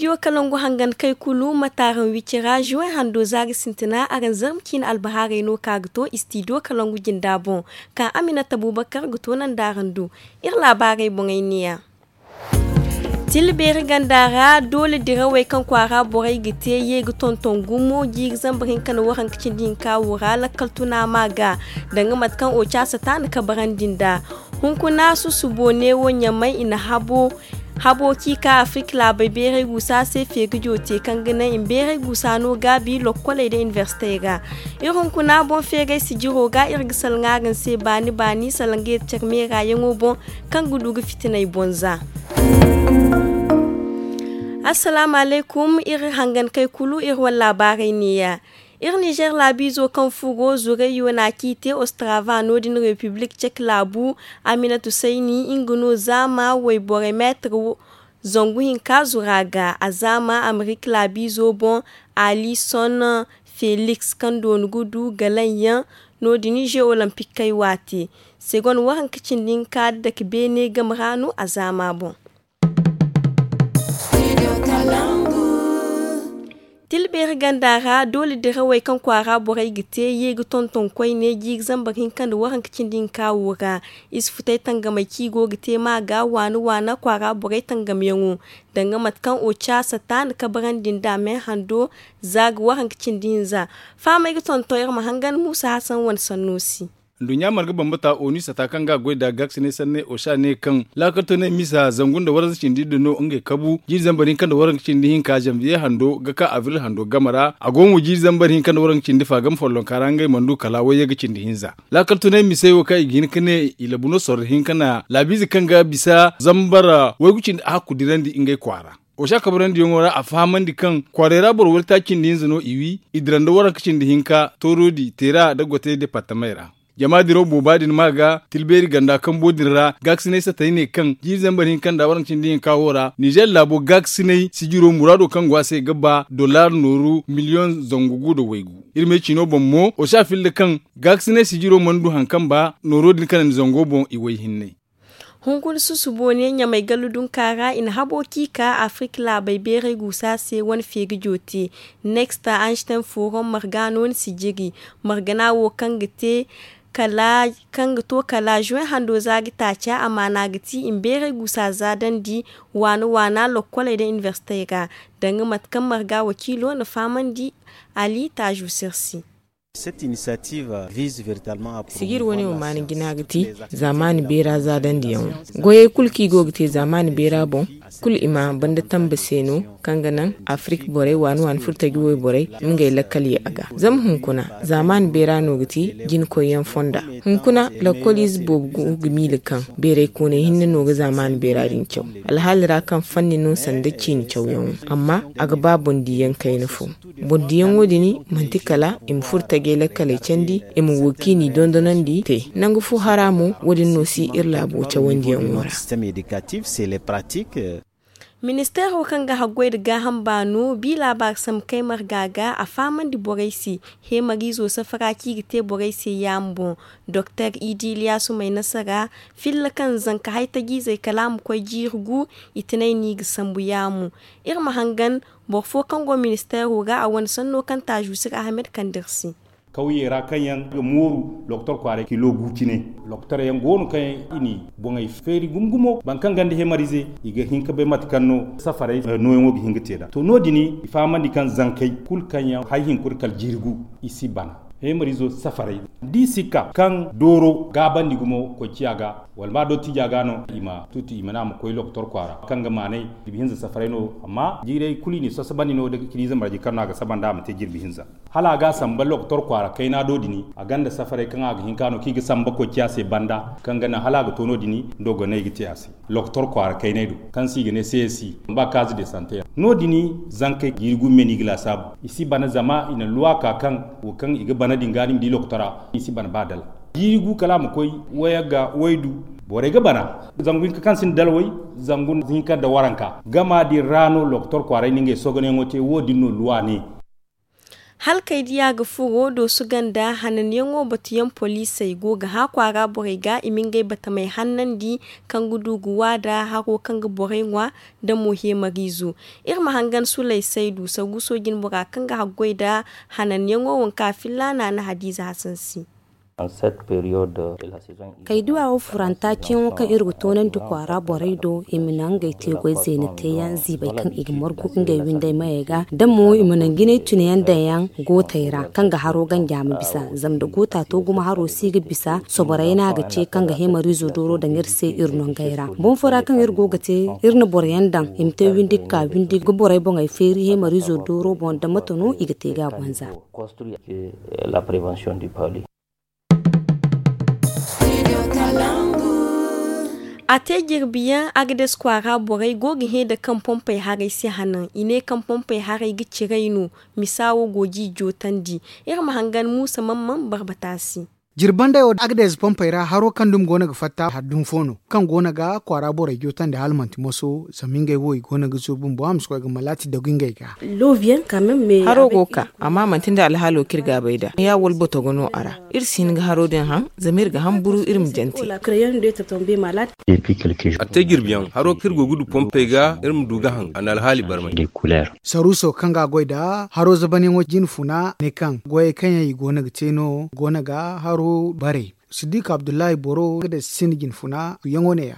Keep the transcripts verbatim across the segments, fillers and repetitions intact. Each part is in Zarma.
Istidiyo kalangu hangan kay kulu ma taaraŋ wicira juwen hando za ga sintina araŋ zarma ciine albahaarey no ka ga to istidiyo kalangu jinda boŋ, ka aminata bubakar ga to nanda araŋ do. Iri laabaarey boŋey neeya. Tila beeri ganda ra doole dirawey kaŋ kwaara borey ga te ye ga tonton gumo jiiri zambar hinka nda waranka cindi hinka wo ra lakkal tuna ma ga, danga mate kaŋ oca sata na kabarandi nd'a. Hunkuna susubo neewo ɲamay i na habo kaŋ i ka afirka laabey beeray guusa se feeri joote kaŋ ga naŋ i ma beeray guusa no gaabi lokkoley nda inibersitey ra. Iri hunkuna boŋ feeray sijiro ga iri ga salaŋ araŋ se baani baani salaŋ ga yeti care meeraayaŋo boŋ kaŋ ga du ga fitinay boŋ za. Assalaamu alaykum iri hangankey kulu iri wane laabaarey neeya. Iri nizer laabiizo kaŋ furo zurayyo na a ciite ostrava no- din repiblik cek laabu, aminatu sayni nga no zaama wayborey meetir zangu hinka zura ga a zaama amerik laabiizo boŋ. Alison feliks kaŋ dooni ga du galaŋ yaŋ no- din ze olimpikkey waate segon waranka cindi hinka dake beene game ra no a zaama boŋ. Tila beeri ganda ra doole dirawey kaŋ kwaara borey ga te ye ga tonton koyne jiiri zambar hinka nda waranka cindi hinka wo ra. I si futay tangamey kaŋ i go ga te ma ga waana waana kwaara borey tangamyaŋo, danga mate kaŋ oca sata na kabarandi nd'a me hando za ga waranka cindi hinza. Fahamey ga tonton iri ma hangan muusa hasan wane sanno se. Nduɲɲa marga bambata onu sata kaŋ ga a goy nda gaakisinay sanne osa ne kaŋ laakaltoney misa zangu nda waranka cindi din no ngey kabu jiiri zambar hinka nda waranka cindi hinka zanviye hando ga ka abril hando game ra a go mo jiiri zambar hinka nda waranka cindi fa game follonka ra ngey mana du kala wayye ga cindi hinza. Laakaltoney misey wo kaŋ i ga hin ga ne i labu no sorro hinka na laabiize kaŋ ga bisa zambar waygu cindi a hakku dirandi ngey kwaara. Osa kabarandiyaŋo ra a fahamandi kaŋ kwaarey ra boro waytaaci cindi hinza no i wi i dira nda waranka cindi hinka toorodi teera nda gotey departamey ra. Jama diraw booba din ma ga tilbeeri ganda kambo din ra gaakisinay satay ne kaŋ jiiri zambar hinka nda waranka cindi hinka wo ra nizer laabo gaakisinay sijiro muraado kaŋ go a se ga ba dollar nooru miliyoŋ zangu gu nda waygu. Iri me ciino boŋ mo osa filla kaŋ gaakisinay sijiro mana du hari kaŋ ba nooro din kanandi zango boŋ i way hinney. Hunkuna susubo ne ɲamay gallu dunka ra i na habo kaŋ i ka afirka laabey beeray guusa se wane feeri joote. Neksta anstein forum marga no ni si jiri margana wo kaŋ ga te kala kaŋ ga to kala juwen hando za ga taaca amaana ga ti i ma beeray guusa za dandi waana waana lokkoley nda inibersitey ra. Danga mate kaŋ marga wakiilo na fahamandi ali taazu sirsi. Sijir wane wo maana jina ga ti zaamaani beera zaadandiyaŋo. Goyey kulu kaŋ i go ga te zaamaani beera boŋ kulu i ma banda tamba se no kaŋ ga naŋ afirik borey waani waani furtaji wayborey ngey lakkal ye a ga. Zama hunkuna zaamaani beera no ga ti jinkoyyaŋ fonda. Hunkuna lakkoliize boobo go ga miila kaŋ beeraykooney hinne no ga zaamaani beera din caw alhaali ra kaŋ fanni no sanda ciini cawyaŋo. Amma a ga ba boŋ diiyaŋ kayna fo. Boŋ diyaŋo din manti kala i ma furo tajay lakkaley candi i ma wo kaŋ i n'i dondonandi te. Nangu fo hara mo wo- din no si iri laabo cawandiyaŋo ra. Ministeero kaŋ ga haggoy nda gaaham baano bi laabaari sambu kay marga ga a fahamandi borey se. Heemariizo safara kaŋ i ga te borey se yaama boŋ. Doktor idi iliyaasu may nasara filla kaŋ zanka haytajiizey kala a ma koy jiiri gu. I tinay no i ga sambu yaamo. Iri ma hangan boro fo kaŋ go ministeero ra a wane sanno kaŋ taazu sir ahamed kande iri se. Kawye ra kaŋ yaŋ ga mooru lokotor kwaaray kilo gu cine. Lokotor yaŋ go no kaŋ yaŋ i n'i boŋey feeri gumo gumo boro kaŋ gonda hemarize i ga hin ka bay mate kaŋ no safarey nooyaŋo ga hin ga te nd'a to no- din i fahamandi kaŋ zankey kulu kaŋ yaŋ hari hinkuna kala jiiri gu i si bana. Hemarizo safarey da i si ka kaŋ dooro gaabandi gumo koy ciya ga wala ba dottija ga no i ma tuti i ma ne a ma koy lokotor kwaara kaŋ ga maanay jirbi hinza safarey no amma jiirey kulu i n'i sasabandi no da ciniize marje kaŋ no a ga saba nd'a a ma te jirbi hinza. Hala a ga a samba lokotor kwaara kayna do din a gonda safarey kaŋ a ga hin ka no kaŋ i ga samba koy ciya se banda kaŋ ga naŋ hala a ga to no- din dogoney ga te a se. Lokotor kwaara kayney do kaŋ se i ga ne c s i ba kaazi de sante yaŋ no- din zankey jiiri gu me no i ga laasaabu. I si bana zama i na luwa ka kaŋ wo kaŋ i ga bana din ga ni ma di lokotora i si bana ba dala. Jiiri gu kala a ma koy wayagga waydu borey ga bana zangu hinka kaŋ sinda dalway zangu hinka nda waranka gama din ra no lokotor kwaaray na ngey sogonayaŋo te wo- din no luwa ne. Hala kay diya ga furo doosu ganda hananyaŋo batuyaŋ poliisey go ga hã kwaara borey ga i ma ngey batamey hannandi, kaŋ ga du ga waada haro kaŋ ga borey ŋwa, nda mo heemariizo. Iri ma hangan sulay saydu saruuso jinbora kaŋ ga haggoy nda hananyaŋo wanka filla naana hadiiza hasan se. Kay duwa wo furanta ceeyaŋo kaŋ iri ga toonandi kwaara borey do i ma naŋ ngey te goy zeena teeyaŋ ziibay kaŋ i ga margu ngey windey mayey ga da mo i ma naŋ jinay tunayaŋ daŋyaŋ gootey ra kaŋ ga haro ganja ma bisa. Zama nda goota to gumo haro si ga bisa soborey no a ga ce kaŋ ga heemariizo dooro daŋ iri se iri nongey ra. Boŋ fo ra kaŋ iri go ga te iri na boroyaŋ daŋ i ma te windi ga ka windi ga borey boŋey feeri heemariizo dooro boŋ nda mate no i ga te ga a banza. A te jirbiyaŋ agades kwaara borey go ga hẽ nda kaŋ pompey haray si hanan i ne kaŋ pompey haray ga ciray no. Misa wo go ga i jootandi. Iri ma hangan muusa mamman barbata se. Jirbandey wo agades pompey ra haro kaŋ dumi go no ga fatta haddun fo no kaŋ go no ga kwaara borey jootandi hala manti moso zama ngey wo i go no ga zuru bumbo a ma si koy ga malaati dagu ngey ga. Haro go ga ka amma manti nda alhaalo kaŋ iri ga a bay nd'a ya wala botogo no a ra. Iri si hin ga haro din haŋ zama iri ga hamburu iri ma jante. A te jirbiyaŋ haro kaŋ iri go ga du pompey ga iri ma du ga haŋ a na alhaali barmay. Saruuso kaŋ ga a goy nda haro zabanyaŋo jine funa ne kaŋ goyey kaŋ yaŋ i go no ga te no go no ga haro bare. Siddik abdullahi boro ga day sinda jine funa yaŋo ne- ya.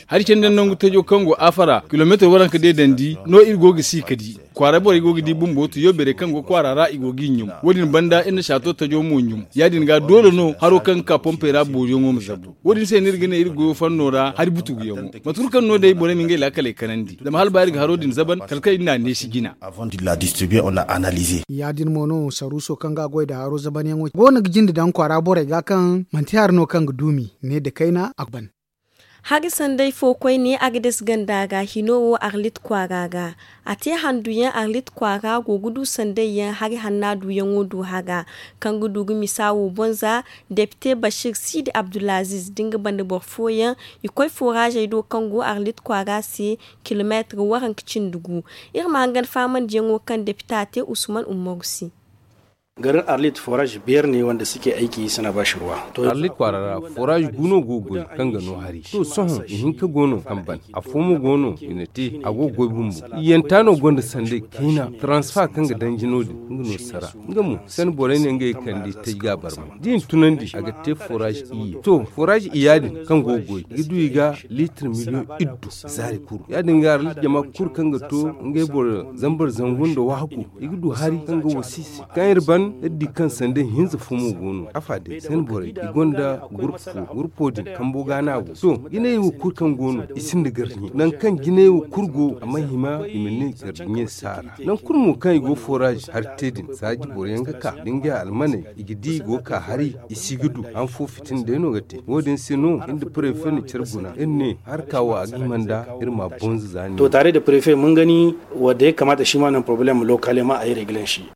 Hari candi nangu tajo kaŋ go afara kilomeetir waranka deedandi no iri go ga si ka di. Kwaara borey go ga di bumbo tuyo beerey kaŋ go kwaara ra i go g'i ɲum. Wo- din banda iri na saato tajo mo ɲum. Ya- din ga doole no haro kaŋ ga ka pompey ra booriyaŋo ma zabu. Wo- din se no iri ga ne iri goyo fanno ra hari butuguyaŋo mate kulu kaŋ no day borey ma ngey laakaley kanandi zama hala ba iri ga haro din zaban kala kaŋ iri n'a neesi jina. Ya- din mo no saruuso kaŋ ga a goy nda haro zabanyaŋo go no ga jinde daŋ kwaara borey ga kaŋ manti hari no kaŋ ga duumi ne nda kayna a ga ban. Hari sanday fo koyne agades ganda ra hino wo arlit kwaara ra. A te handuyaŋ arlit kwaara go ga du sandayyaŋ hari hanna duyaŋo du hara kaŋ ga du ga misa wo boŋ za. Depite bashir siidi abdulaziz da nga banda boro fooyaŋ i koy foraazey do kaŋ go arlit kwaara se. Kilomeetir waranka cindi gu. Iri ma hangan faamandiyaŋo kaŋ depita te usman umaru se. Garin arlit foraaz biyar ne wanda suke aiki suna ba shi ruwa. Arlit kwaara ra foraaz gu no go ga goy kaŋ ga no hari to sohõ i hinka go no kaŋ ban. Afo mo go no i na te a go ga goy bumbo. Iyanta no gonda sanday kayna taransifa kaŋ ga danji no- din nga no sara. Nga mo sanda borey ne ngey ga kande tay ga a barmay da i na tunandi a ga te foraaz iyye to foraaz iyya din kaŋ go ga goy i ga du i ga liitir miliyoŋ iddu zaari kuru ya- din ga arlit jama kulu kaŋ ga to ngey boro zambar zangu nda waaku i ga du hari kaŋ ga wasi i se kaŋ iri ban iri di kaŋ sanda hinza fo mo go no afa day sanda borey i gonda gurpu fo gurpo din kambo ga no a go to jinay wo kulu kaŋ go no i sinda gardiɲe nangu kaŋ jinay wo kulu go a mana hima i ma ne gardiɲe si a ra nangu kulu mo kaŋ i go foraaz hari te din saaji boroyaŋ ga ka da ngey almaney i ga di i go ga ka hari i si ga du han fo fitina day no ga te wo- din se no iri nda prefe na care guna iri ne harka wo a ga hima nda iri ma bonza za ne. To tare da prefe mun gani wadda ya kamata shi ma nan problem lokale ma a yi reglen shi.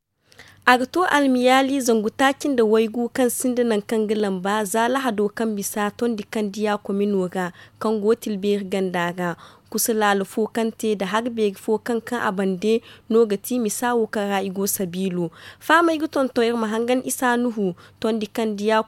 A ga to almiyaali zangu taaci nda waygu kaŋ sinda nangu kaŋ ga lamba za lahado kaŋ bisa tondi kaŋ diya komino ra kaŋ go tilbeeri ganda ra. Kusa laalo fo kaŋ te nda hari beeri fo kaŋ kaŋ a bande no ga ti misa wo kaŋ ra i go sabiilo. Fahamey ga tonton iri ma hangan isa nuhu tondi kaŋ diya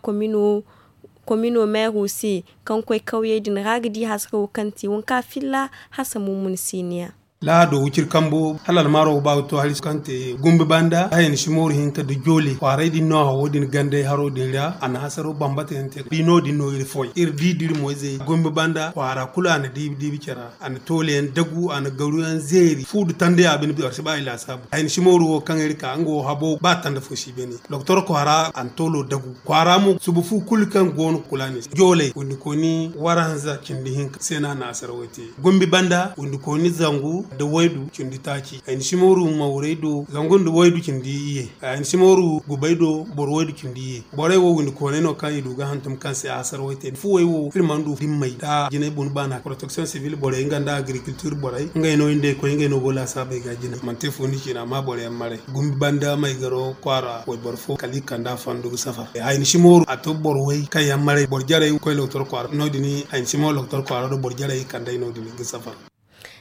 komino meero se kaŋ koy kawyey din ra ga di hasarawo kaŋ te wanka filla hasa mummun siniya. Lahado wiciri kambo hala almaaro ga ba ga to hari kaŋ te gumbi banda hayani simooru hinka nda joole kwaaray din no hawo din gandey haro din ra a na hasaro bambata yaŋ te da no- din no iri foy iri di da iri moyzey gumbi banda kwaara kulu a na diibi diibi care ra a na toole yaŋ dagu a na garu yaŋ zeeri fu nda tanda ya bine boro si ba i laasaabu hayani simooru wo kaŋ iri ka nga wo habo ba tanda fo si beene doktor kwaara a na toolo dagu kwaara mo suba fu kulu kaŋ go no kulaani se jooley windi kooni waranza cindi hinka se no a na hasaro wo te gombi banda windi kooni zangu nda waydu cindi taaci hayni simooru mawray do zangu nda waydu cindi iyye hayni simooru gubay do boro waydu cindi iyye borey wo windi koonay no kaŋ i du ga hantum kaŋ se hasaro wo te fuwey wo iri mana du dimmey da jinay bun baana protection civil borey nga nda agriculture borey ngey no iri nd'ey koy ngey no go laasaabey ga jina mana te fo ni ciina amma boro yaŋ maray gumbi banda may garo kwaara wayboro fo kala i kand'a fondo ga safar hayni simooru a to boro way kaŋ yaŋ maray boro jarey koy lokotor kwaara no- din hayni simooru lokotor kwaara do boro jarey kand'ey no- din ga safar.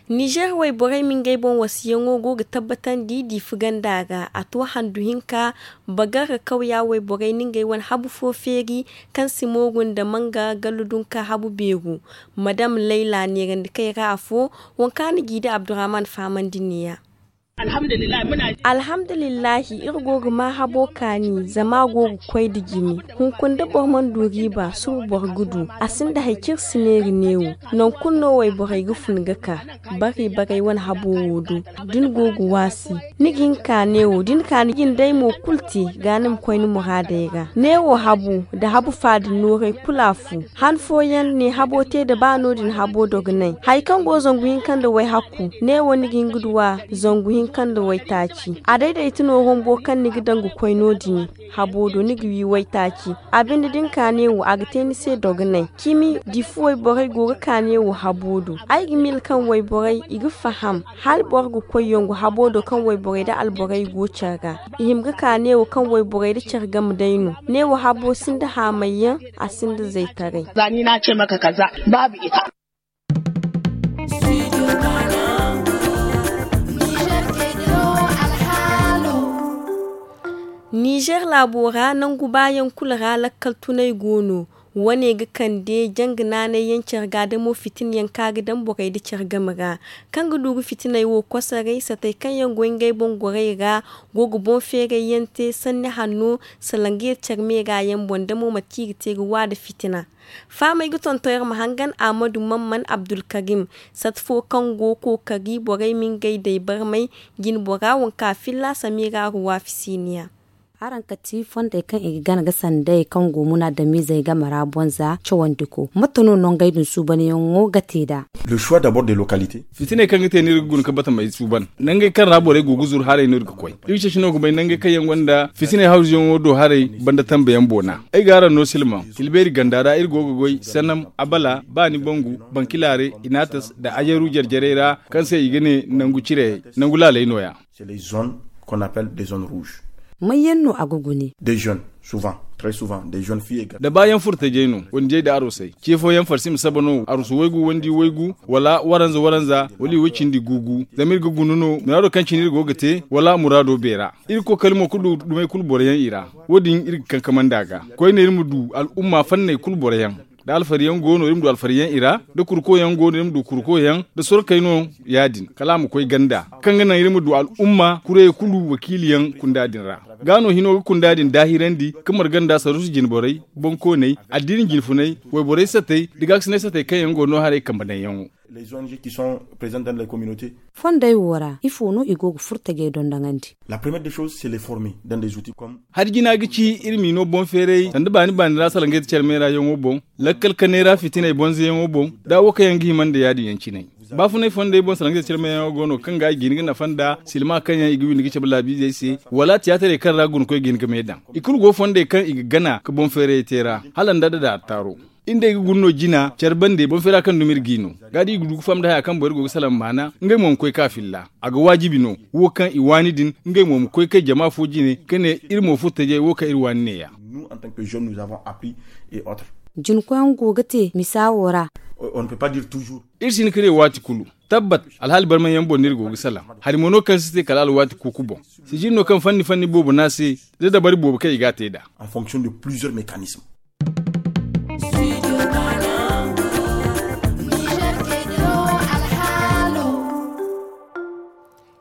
Nizer wayborey ma ngey boŋ wasiyaŋo go ga tabbatandi diifi ganda ra. A to handu hinka, bagar ga kawya wayborey na ngey wane habu fo feeri, kaŋ si mooru nda manga gallu dunka habu beeru. Madam layla neerandi kay ra afo, waŋ kaŋ a na g'i da abdurrahman fahamandi neeya. Alhamdulillahi, iri go ga ma habo kaani, zama a go ga koy nda jine. Hunkuna da boro mana du riiba, suba boro ga du. A sinda hari kaŋ iri si neera neewo. Nangu kulu no wayborey ga fun ga ka, bari baray wane habo wo do. Da ni go ga waasi, ni ga hin ka neewo, da ni ka ni ga ni day mo kulu te, ga ni ma koy ni muraadey ra. Neewo habu nda habu faada nooray kulu a fu. Han fooyaŋ ne habo te nda ba no-din habo dogonay. Hari kaŋ go zangu hinka nda wayhakku, neewo ni ga hin ga du a zangu hinka nda waytaaci. A dayday ti no rombo kaŋ ni ga daŋ ga koy no-din habo do, ni ga wi waytaaci. A binde da ni ka neewo, a ga te ni se dogonay. Cimi diifi wayborey go ga ka neewo habo do. Ay ga miila kaŋ wayborey i ga faham, hala boro ga koy yongo habo do kaŋ wayborey nda alborey go care ra. I hima ga ka neewo kaŋ wayborey nda care game day no. Neewo habo sinda haamayyaŋ, a sinda zaytaray. Za ni na ce maka kaza, babu ita. Nizer laabo ra nangu baayaŋ kulu ra lakkal tunay go no. Wane ga kande janga naanay yaŋ care ga damo fitina yaŋ kaŋ a ga daŋ borey nda care game ra, kaŋ ga du ga fitiney wo kosoray. Satey kaŋ yaŋ go ngey boŋ gorey ra go ga boŋ feeray yaŋ te sanni hanno, salaŋ ga yeti care meera yaŋ boŋ damo mate kaŋ i ga te ga wa nda fitina. Fahamey ga tonton iri ma hangan ahmadu mamman abdulkarim, sata fo kaŋ go kookari borey ma ngey day barmay. Jine bora waŋ kaŋ a filla samira ruwa fisiniya. Araŋ kati fondey kaŋ i ga gana ga sanday kaŋ go munaadamiizey game ra bonza cawandiko, mate no nongey din suubanyaŋo ga te nd'a? Fitiney kaŋ ga te no iri ga guna ga batamey suuban. Nangey kaŋ ra borey go ga zuru haray no iri ga koy. Iri ceeci no ga bay nangey kaŋ yaŋ gonda fitiney hawzuyaŋo do haray banda tambayaŋ boona. Ay ga araŋ no silmaŋ, tilbeeri ganda ra iri go ga goy sanam, abala, baani bangu, bankilaare, inaatas nda ajaru jarjarey ra, kaŋ se i ga ne nangu cirey, nangu laaley nooya. May yaŋ no a ga gune? Da baayaŋ furtajey no wandiyey nda arusey ce fooyaŋ farsi ma saba no arusu waygu wandi waygu, wala waranza waranza, wala i way cindi guugu. Zama iri ga guna no muraado kaŋ cine iri go ga te wala muraado beera. Iri ga kookari mo ga du dumey kulu boroyaŋ i ra. Wo- din iri ga kankamandi a ga koyne iri ma du al'umma fanney kulu boroyaŋ. Da alfariyaŋ go no iri ma du alfariyaŋ i ra, da kurkoyaŋ go no iri ma du kurkoyaŋ, da sorkey no ya- din kala a ma koy ganda, kaŋ ga naŋ iri ma du al'umma kurey kulu wakiiliyaŋ kunda din ra. Ga no hino ga kunda din daahirandi ga marga nda saruusu jinborey, bonkooney, addiini jinfuney, wayborey satey, da gaakasinay satey kaŋ yaŋ go no haray kambe daŋyaŋo. Fondey wo ra ifo no i go ga furtajey dondoŋandi? Hari jina ga ci iri m'i no boŋ feeray sanda baani baani ra salaŋ ga yeti care meerayaŋo boŋ, lakkal kanay ra fitiney bonzayaŋo boŋ, da wo kaŋ yaŋ ga hima nda ya- din yaŋ cine. Baafunay fondey boŋ salaŋ ga yeti care meerayaŋo go no kaŋ ga i ga hin ga nafa nda silma kaŋ yaŋ i ga windi ga cabe laabiizey se, wala tiyaatarey kaŋ ra gunakoy ga hin ga me daŋ. I kulu go fondey kaŋ i ga gana ga boŋ feerayey te ra hala nda da daara taaro. Iri nd'ey ga guna no jina care bande boŋ feera kaŋ dumi iri g'i no. Ga da i ga du ga faham nda haya kaŋ boro go ga salaŋ maana ngey mo ma koy ka filla. A ga waajibi no wo kaŋ i waani din, ngey mo ma koy kay jama fo jine ka ne iri mo furtajey wo kaŋ iri waani neeya. Jinkoyaŋ go ga te misa wo ra. Iri si hin ka ne waati kulu. Tabbat, alhaali barmayyaŋ boŋ no iri go ga salaŋ. Hari mo no kaŋ si te kala alwaati kuuku boŋ. Sijiri no kaŋ fanni fanni boobo no a se, da dabari boobo kaŋ i ga a te nd'a.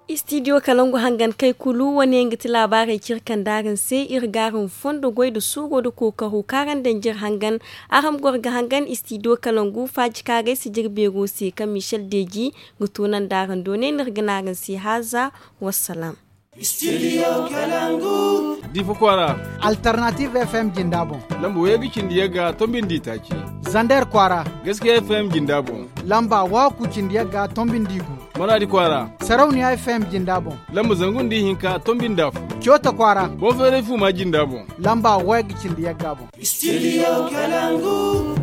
Istidiyo kalangu hangan kay kulu wane nga ti laabaarey kaŋ iri kande araŋ se. Iri ga araŋ fondo goy nda suuro nda kookaro kaŋ araŋ daŋ jire hangan. Araŋ ma goro ga hangan istidiyo kalangu faaji kaŋ a gay sijiri beero se kaŋ michel deeji ga toonandi araŋ do ne no iri ga ne araŋ se haaza. Wassalaam. Diifa kwaara, alternative f m jinda boŋ, lamba wayagga cindi yagga tombi nda itaaci. Zander kwaara, gaskiya f m jinda boŋ, lamba waakku cindi yagga tombi nda igu. Maraadi kwaara, sarauniya f m jinda boŋ, lamba zangu nda ihinka tombi nda afo. Coota kwaara, boŋ feeray fuuma jinda boŋ, lamba wayagga cindi yagga boŋ. Studio Kalangu.